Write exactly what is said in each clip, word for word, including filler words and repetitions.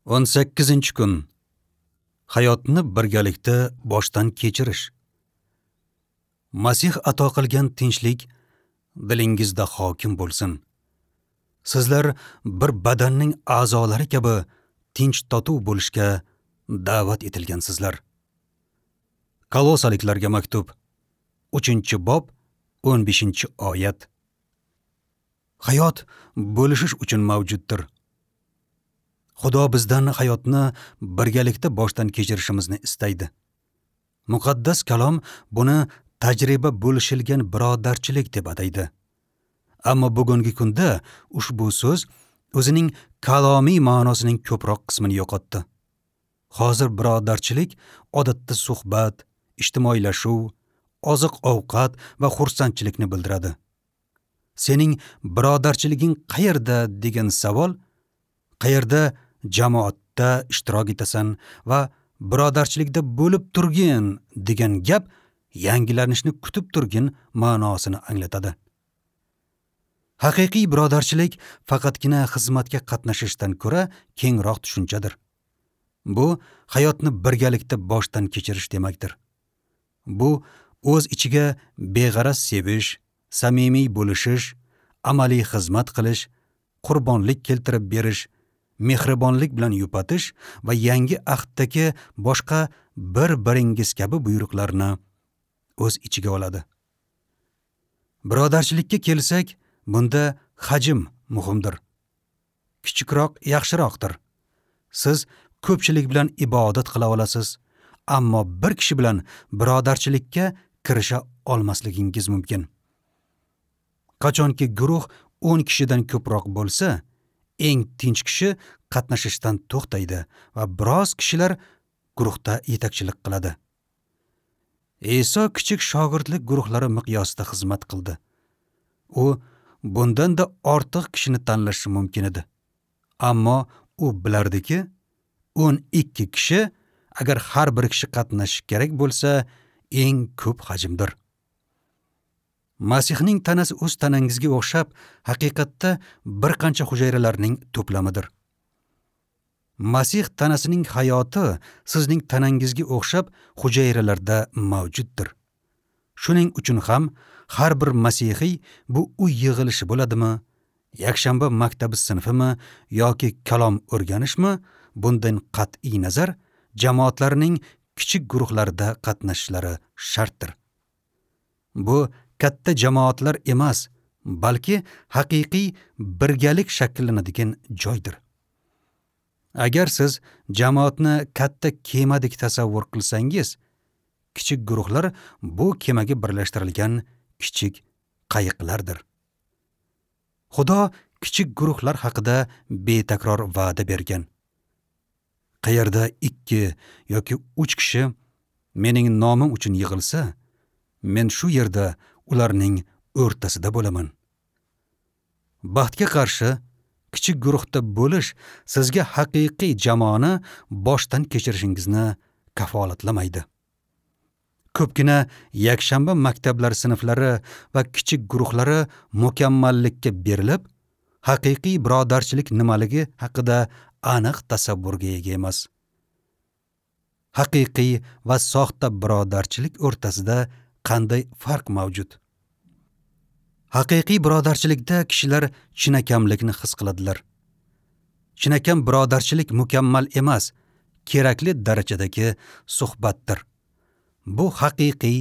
o'n sakkizinchi kun. Hayotni birgalikda boshdan kechirish. Masih ato qilgan tinchlik dilingizda hokim bo'lsin. Sizlar bir badanning a'zolari kabi tinch totuv bo'lishga da'vat etilgansizlar. Kolosaliklarga maktub, uchinchi bob, o'n beshinchi oyat. Hayot bo'lishish uchun mavjuddir. Xudo bizdan hayotni birgalikda boshdan kechirishimizni istaydi. Muqaddas kalom buni tajriba bo'lishilgan birodarchilik deb ataydi. Ammo bugungi kunda ushbu so'z o'zining kalomiy ma'nosining ko'proq qismini yo'qotdi. Hozir birodarchilik odatda suhbat, ijtimoiylashuv, oziq-ovqat va xursandchilikni bildiradi. Sening birodarchiliging qayerda degan savol, qayerda jamoatda ishtirok etasan va birodarchilikda bo'lib turgin degan gap yangilanishni kutib turgin ma'nosini anglatadi. Haqiqiy birodarchilik faqatgina xizmatga qatnashishdan ko'ra kengroq tushunchadir. Bu hayotni birgalikda boshdan kechirish demakdir. Bu o'z ichiga beg'araz sevish, samimiy bo'lishish, amaliy xizmat qilish, qurbonlik keltirib berish, mehribonlik bilan yupatish va yangi ahddagi boshqa bir-biringiz kabi buyruqlarni o'z ichiga oladi. Birodarchilikka kelsak, bunda hajm muhimdir. Kichikroq yaxshiroqdir. Siz ko'pchilik bilan ibodat qila olasiz, ammo bir kishi bilan birodarchilikka kirisha olmasligingiz mumkin. Qachonki guruh o'n kishidan ko'proq bo'lsa, eng tinch kishi qatnashishdan to'xtaydi va biroz kishilar guruhda yetakchilik qiladi. Iso kichik shogirdlik guruhlari miqyosida xizmat qildi. U bundan-da ortiq kishini tanlashi mumkin edi. Ammo u bilardiki, o'n ikki kishi agar har bir kishi qatnashishi kerak bo'lsa, eng ko'p hajmdir. Masihning tanasi o'z tanangizga o'xshab, haqiqatda bir qancha hujayralarning to'plamidir. Masih tanasining hayoti sizning tanangizga o'xshab hujayralarda mavjuddir. Shuning uchun ham har bir masihiy bu uy yig'ilishi bo'ladimi, yakshanba maktabi sinfimi yoki kalom o'rganishmi, bundan qat'iy nazar jamoatlarning kichik guruhlarida qatnashishlari shartdir. Bu katta jamoatlar emas, balki haqiqiy birgalik shakllanadigan joydir. Agar siz jamoatni katta kemadek tasavvur qilsangiz, kichik guruhlar bu kemaga birlashtirilgan kichik qayiqlardir. Xudo kichik guruhlar haqida betakror va'da bergan. Qayerda ikki yoki uch kishi mening nomim uchun yig'ilsa, men shu yerda ularning o'rtasida bo'laman. Baxtga qarshi, kichik guruhda bo'lish sizga haqiqiy jamoani boshdan kechirishingizni kafolatlamaydi. Ko'pgina yakshanba maktablar sinflari va kichik guruhlari mukammallikka berilib, haqiqiy birodarchilik nimaligi haqida aniq tasavvurga ega emas. Haqiqiy va soxta birodarchilik o'rtasida qanday farq mavjud? Haqiqiy birodarchilikda kishilar chinakamlikni his qiladilar. Chinakam birodarchilik mukammal emas, kerakli darajadagi suhbatdir. Bu haqiqiy,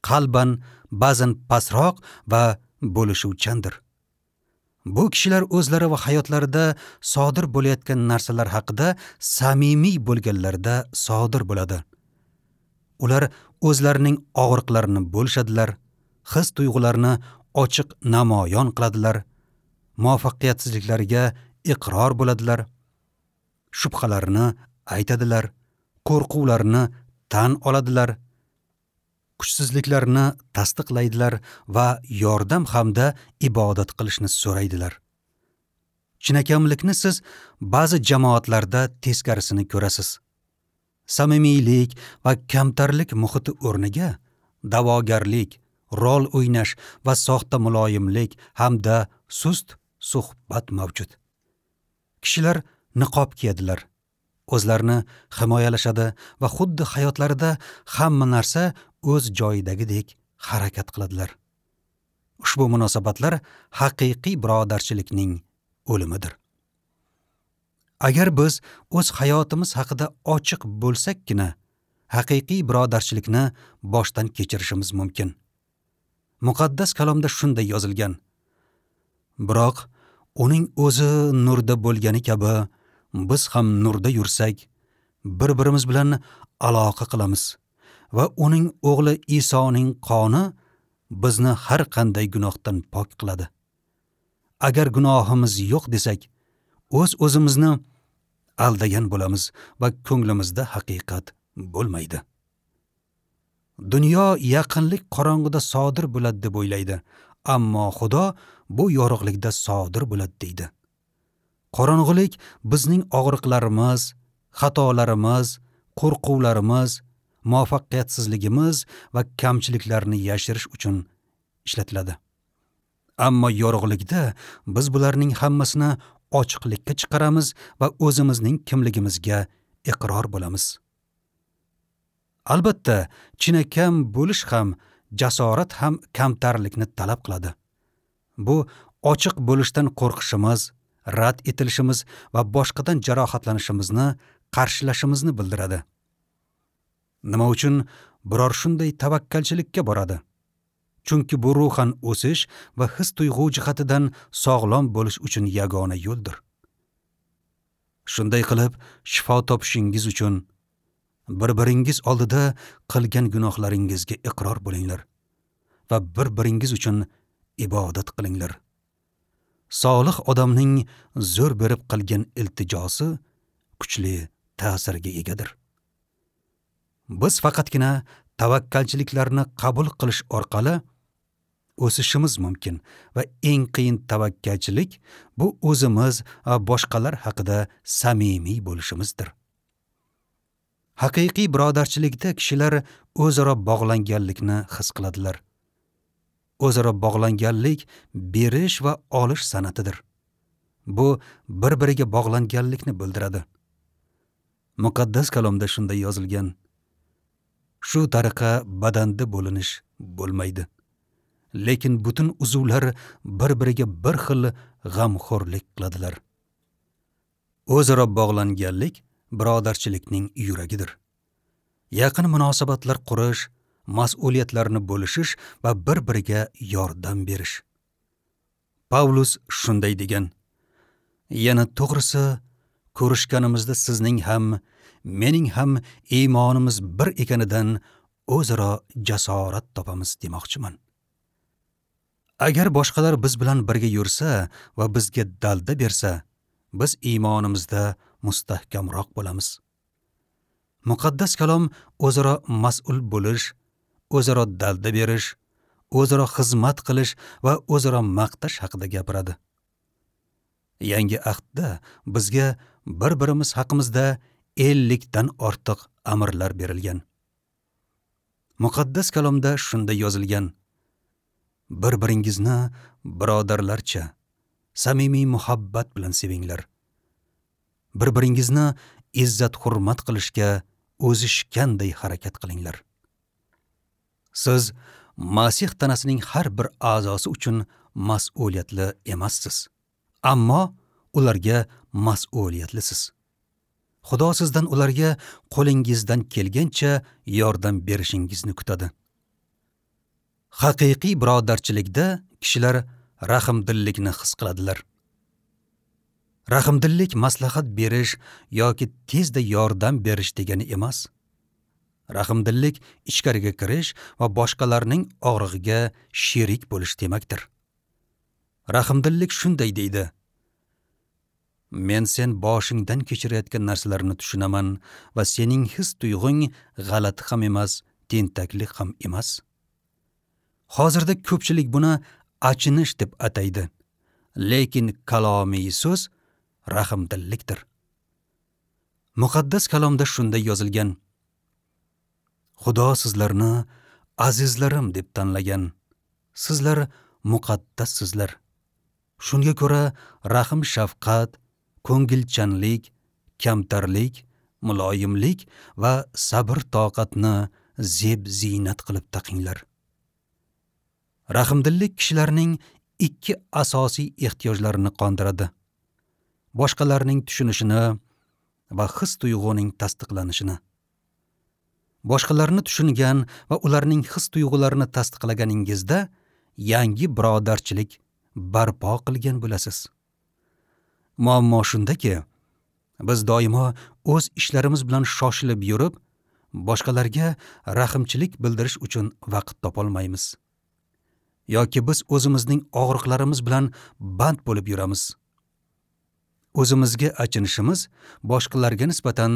qalban, ba'zan pastroq va bo'lishuvchandir. Bu kishilar o'zlari va hayotlarida sodir bo'layotgan narsalar haqida samimiy bo'lganlarida sodir bo'ladi. Ular o'zlarining og'riqlarini bo'lishadilar, his tuyg'ularini ochiq namoyon qiladilar, muvaffaqiyatsizliklariga iqror bo'ladilar, shubhalarini aytadilar, qo'rquvlarini tan oladilar, kuchsizliklarini tasdiqlaydilar va yordam hamda ibodat qilishni so'raydilar. Chinakamlikni siz ba'zi jamoatlarda teskarisini ko'rasiz. Samimiylik va kamtarlik muhiti o'rniga da'vogarlik, rol o'ynash va soxta muloyimlik hamda sust suhbat mavjud. Kishilar niqob kiyadilar, O'zlarini himoyalashadi va xuddi hayotlarida hamma narsa o'z joyidagidek harakat qiladilar. Ushbu munosabatlar haqiqiy birodarchilikning o'limidir. Agar biz o'z hayotimiz haqida ochiq bo'lsakkina, haqiqiy birodarchilikni boshdan kechirishimiz mumkin. Muqaddas kalomda shunday yozilgan: Biroq uning o'zi nurda bo'lgani kabi biz ham nurda yursak, bir-birimiz bilan aloqa qilamiz va uning o'g'li Isoning qoni bizni har qanday gunohdan pok qiladi. Agar gunohimiz yo'q desak, o'z o'zimizni aldagan bo'lamiz va ko'nglimizda haqiqat bo'lmaydi. Dunyo yaqinlik qorong'ida sodir bo'ladi deb o'ylaydi, ammo Xudo bu yorug'likda sodir bo'ladi deydi. Qorong'ulik bizning og'riqlarimiz, xatolarimiz, qo'rquvlarimiz, muvaffaqiyatsizligimiz va kamchiliklarni yashirish uchun ishlatiladi. Ammo yorug'likda biz bularning hammasini ochiqlikka chiqaramiz va o'zimizning kimligimizga iqror bo'lamiz. Albatta, chinakam bo'lish ham, jasorat ham kamtarlikni talab qiladi. Bu ochiq bo'lishdan qo'rqishimiz, rad etilishimiz va boshqadan jarohatlanishimizni qarshilashimizni bildiradi. Nima uchun biror shunday tavakkalchilikka boradi? Chunki bu ruhan o'sish va his-tuyg'u jihatidan sog'lom bo'lish uchun yagona yo'ldir. Shunday qilib, shifo topishingiz uchun bir-biringiz oldida qilgan gunohlaringizga iqror bo'linglar va bir-biringiz uchun ibodat qilinglar. Solih odamning zo'r berib qilgan iltijosi kuchli ta'sirga egadir. Biz faqatgina tavakkalchiliklarni qabul qilish orqali o'sishimiz mumkin va eng qiyin tavakkalchilik bu o'zimiz va boshqalar haqida samimiy bo'lishimizdir. Haqiqiy birodarchilikda kishilar o'zaro bog'langanlikni his qiladilar. O'zaro bog'langanlik berish va olish san'atidir. Bu bir-biriga bog'langanlikni bildiradi. Muqaddas kalomda shunday yozilgan: Shu tariqa badanda bo'linish bo'lmaydi. Lekin butun uzvlar bir-biriga bir xil g'amxo'rlik qiladilar. O'zaro bog'langanlik birodarchilikning yuragidir. Yaqin munosabatlar qurish, mas'uliyatlarni bo'lishish va bir-biriga yordam berish. Pavlus shunday degan: Yana to'g'risi, ko'rishganimizda sizning ham, mening ham iymonimiz bir ekanidan o'zaro jasorat topamiz demoqchiman. Agar boshqalar biz bilan birga yursa va bizga dalda bersa, biz iymonimizda mustahkamroq bo'lamiz. Muqaddas kalom o'zaro mas'ul bo'lish, o'zaro dalda berish, o'zaro xizmat qilish va o'zaro maqtash haqida gapiradi. Yangi ahdda bizga bir-birimiz haqimizda ellikdan ortiq amrlar berilgan. Muqaddas kalomda shunday yozilgan: Bir-biringizni birodarlarcha samimiy muhabbat bilan sevinglar. Bir-biringizni izzat-hurmat qilishga o'zishganday harakat qilinglar. Siz Masih tanasining har bir a'zosi uchun mas'uliyatli emassiz, ammo ularga mas'uliyatlisiz. Xudo sizdan ularga qo'lingizdan kelgancha yordam berishingizni kutadi. Haqiqiy birodarchilikda kishilar rahmdillikni his qiladilar. Rahmdillik maslahat berish yoki tezda yordam berish degani emas. Rahmdillik ichkariga kirish va boshqalarning og'rig'iga sherik bo'lish demakdir. Rahmdillik shunday deydi: Men sen boshingdan kechirayotgan narsalarni tushunaman va sening his tuyg'ung g'alati ham emas, tentaklik ham emas. Hozirda ko'pchilik buni achinish deb ataydi. Lekin kalomiy so'z rahmdillikdir. Muqaddas kalomda shunday yozilgan: Xudo sizlarni azizlarim deb tanlagan. Sizlar muqaddassizlar. Shunga ko'ra rahm shafqat, ko'ngilchanlik, kamtarlik Muloyimlik va sabr toqatni zeb ziynat qilib taqinglar. Rahmdillik kishilarning ikki asosiy ehtiyojlarini qondiradi: boshqalarning tushunishini va his tuyg'uning tasdiqlanishini. Boshqalarni tushungan va ularning his tuyg'ularini tasdiqlaganingizda yangi birodarchilik barpo qilgan bo'lasiz. Muammo shundaki, biz doimo o'z ishlarimiz bilan shoshilib yurib, boshqalarga rahmchilik bildirish uchun vaqt topolmaymiz. Yoki biz o'zimizning og'riqlarimiz bilan band bo'lib yuramiz. O'zimizga achinishimiz boshqalarga nisbatan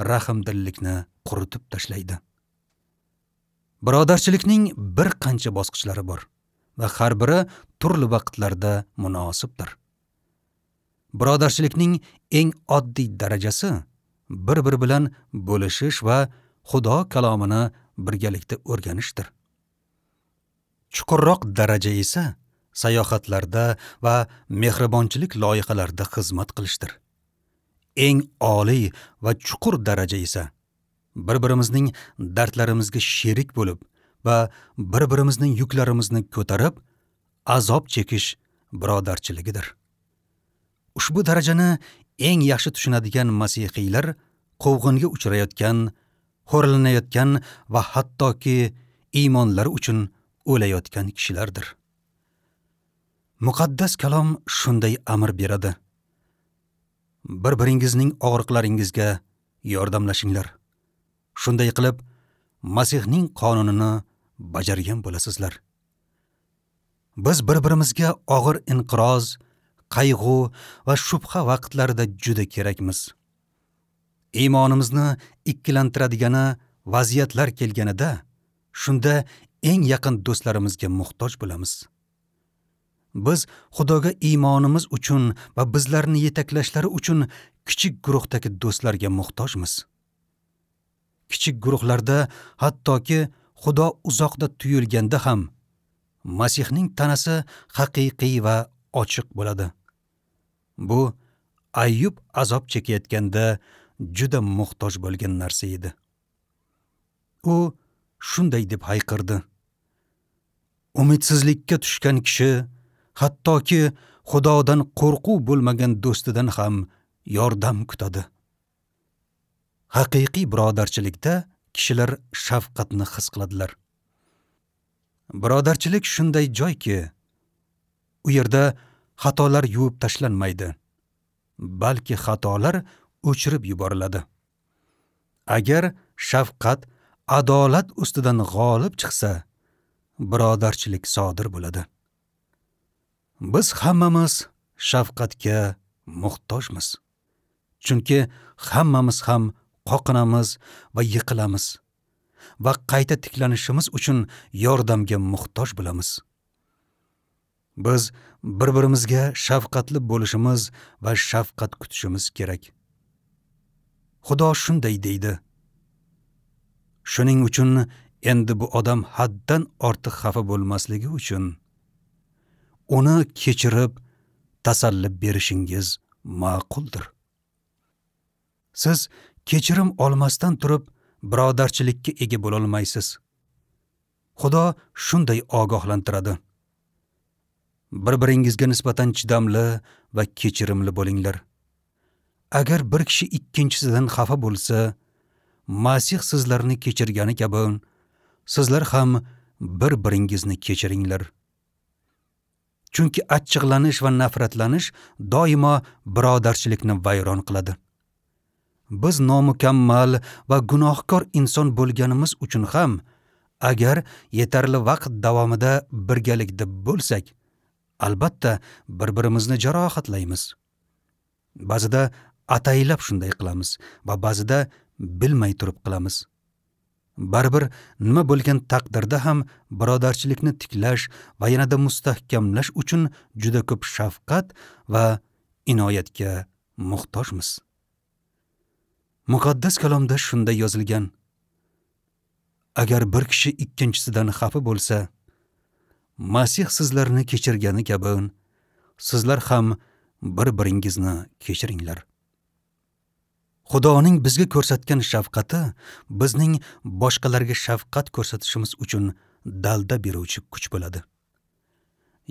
rahmdillikni quritib tashlaydi. Birodarchilikning bir qancha bosqichlari bor va har biri turli vaqtlarda munosibdir. Birodarchilikning eng oddiy darajasi bir-biri bilan bo'lishish va Xudo kalomini birgalikda o'rganishdir. Chuqurroq daraja esa sayohatlarda va mehribonchilik loyihalarida xizmat qilishdir. Eng oliy va chuqur daraja esa bir-birimizning dardlarimizga sherik bo'lib va bir-birimizning yuklarimizni ko'tarib azob chekish birodarchiligidir. Ushbu darajani eng yaxshi tushunadigan masihiylar quvg'inga uchrayotgan, xo'rlanayotgan va hattoki iymonlari uchun o'layotgan kishilardir. Muqaddas kalom shunday amr beradi: bir-biringizning og'riqlaringizga yordamlashinglar. Shunday qilib, Masihning qonunini bajargan bo'lasizlar. Biz bir-birimizga og'ir inqiroz, qayg'u va shubha vaqtlarida juda kerakmiz. Iymonimizni ikkilantiradigan vaziyatlar kelganida, shunda eng yaqin do'stlarimizga muhtoj bo'lamiz. Biz Xudoga iymonimiz uchun va bizlarni yetaklashlari uchun kichik guruhdagi do'stlarga muhtojmiz. Kichik guruhlarda hattoki Xudo uzoqda tuyulganda ham Masihning tanasi haqiqiy va ochiq bo'ladi. Bu Ayyub azob chekayotganda juda muhtoj bo'lgan narsa edi. U shunday deb hayqirdi: umidsizlikka tushgan kishi hattoki Xudodan qo'rquv bo'lmagan do'stidan ham yordam kutadi. Haqiqiy birodarchilikda kishilar shafqatni his qiladilar. Birodarchilik shunday joyki, u yerda xatolar yuvib tashlanmaydi, balki xatolar o'chirib yuboriladi. Agar shafqat adolat ustidan g'olib chiqsa, birodarchilik sodir bo'ladi. Biz hammamiz shafqatga muhtojmiz. Chunki hammamiz ham qoqinamiz va yiqilamiz va qayta tiklanishimiz uchun yordamga muhtoj bo'lamiz. Biz bir-birimizga shafqatli bo'lishimiz va shafqat kutishimiz kerak. Xudo shunday deydi: shuning uchun endi bu odam haddan ortiq xafa bo'lmasligi uchun uni kechirib tasalli berishingiz ma'quldir. Siz kechirim olmasdan turib birodarchilikka ega bo'la olmaysiz. Xudo shunday ogohlantiradi: bir-biringizga nisbatan chidamli va kechirimli bo'linglar. Agar bir kishi ikkinchisidan xafa bo'lsa, Masih sizlarni kechirgani kabi sizlar ham bir-biringizni kechiringlar. Chunki achchiqlanish va nafratlanish doimo birodarchilikni vayron qiladi. Biz nomukammal va gunohkor inson bo'lganimiz uchun ham agar yetarli vaqt davomida birgalikda bo'lsak, albatta bir-birimizni jarohatlaymiz. Ba'zida ataylab shunday qilamiz va ba'zida bilmay turib qilamiz. Baribir nima bo'lgan taqdirda ham birodarchilikni tiklash va yanada mustahkamlash uchun juda ko'p shafqat va inoyatga muhtojmiz. Muqaddas kalomda shunday yozilgan: agar bir kishi ikkinchisidan xafa bo'lsa, Masih sizlarni kechirgani kabi sizlar ham bir-biringizni kechiringlar. Xudoning bizga ko'rsatgan shafqati bizning boshqalarga shafqat ko'rsatishimiz uchun dalda beruvchi kuch bo'ladi.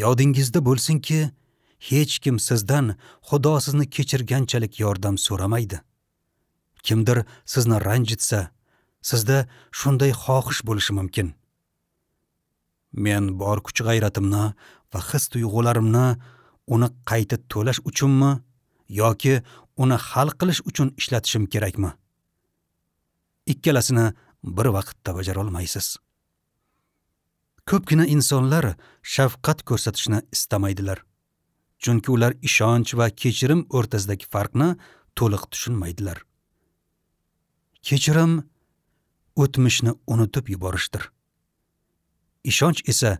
Yodingizda bo'lsinki, hech kim sizdan Xudo sizni kechirganchalik yordam so'ramaydi. Kimdir sizni ranjitsa, sizda shunday xohish bo'lishi mumkin. Men bor kuch-g'ayratimni va his-tuyg'ularimni uni qayta to'lash uchunmi yoki uni hal qilish uchun ishlatishim kerakmi? Ikkalasini bir vaqtda bajara olmaysiz. Ko'pgina insonlar shafqat ko'rsatishni istamaydilar. Chunki ular ishonch va kechirim o'rtasidagi farqni to'liq tushunmaydilar. Kechirim o'tmishni unutib yuborishdir. Ishonch esa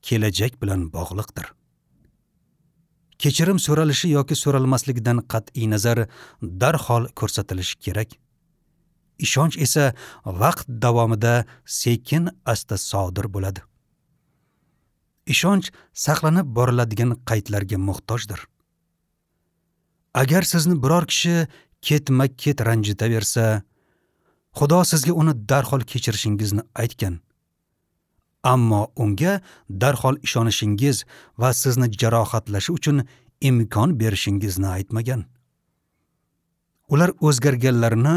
kelajak bilan bog'liqdir. Kechirim so'ralishi yoki so'ralmasligidan qat'iy nazar darhol ko'rsatilishi kerak. Ishonch esa vaqt davomida sekin asta sodir bo'ladi. Ishonch saqlanib boriladigan qaydlarga muhtojdir. Agar sizni biror kishi ketma-ket ranjitaversa, Xudo sizga uni darhol kechirishingizni aytgan. Ammo unga darhol ishonishingiz va sizni jarohatlashi uchun imkon berishingizni aytmagan. Ular o'zgarganlarini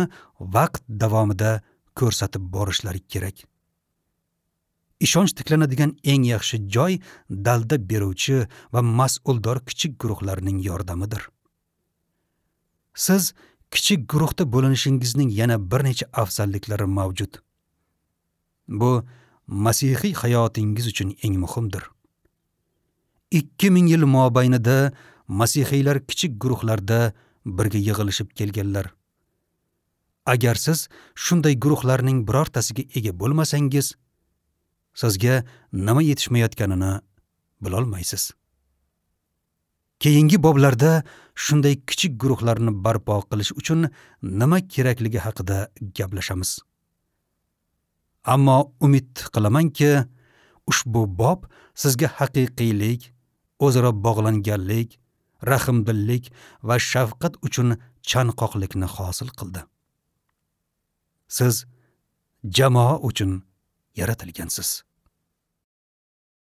vaqt davomida ko'rsatib borishlari kerak. Ishonch tiklanadigan eng yaxshi joy dalda beruvchi va mas'uldor kichik guruhlarning yordamidir. Siz kichik guruhda bo'linishingizning yana bir necha afzalliklari mavjud. Bu masihiy hayotingiz uchun eng muhimdir. ikki ming yil mobaynida masihiylar kichik guruhlarda birga yig'ilishib kelganlar. Agar siz shunday guruhlarning birortasiga ega bo'lmasangiz, sizga nima yetishmayotganini bilolmaysiz. Keyingi boblarda shunday kichik guruhlarni barpo qilish uchun nima kerakligi haqida gaplashamiz. Ammo umid qilamanki, ushbu bob sizga haqiqiylik, o'zaro bog'langanlik, rahmdillik va shafqat uchun chanqoqlikni hosil qildi. Siz jamoa uchun yaratilgansiz.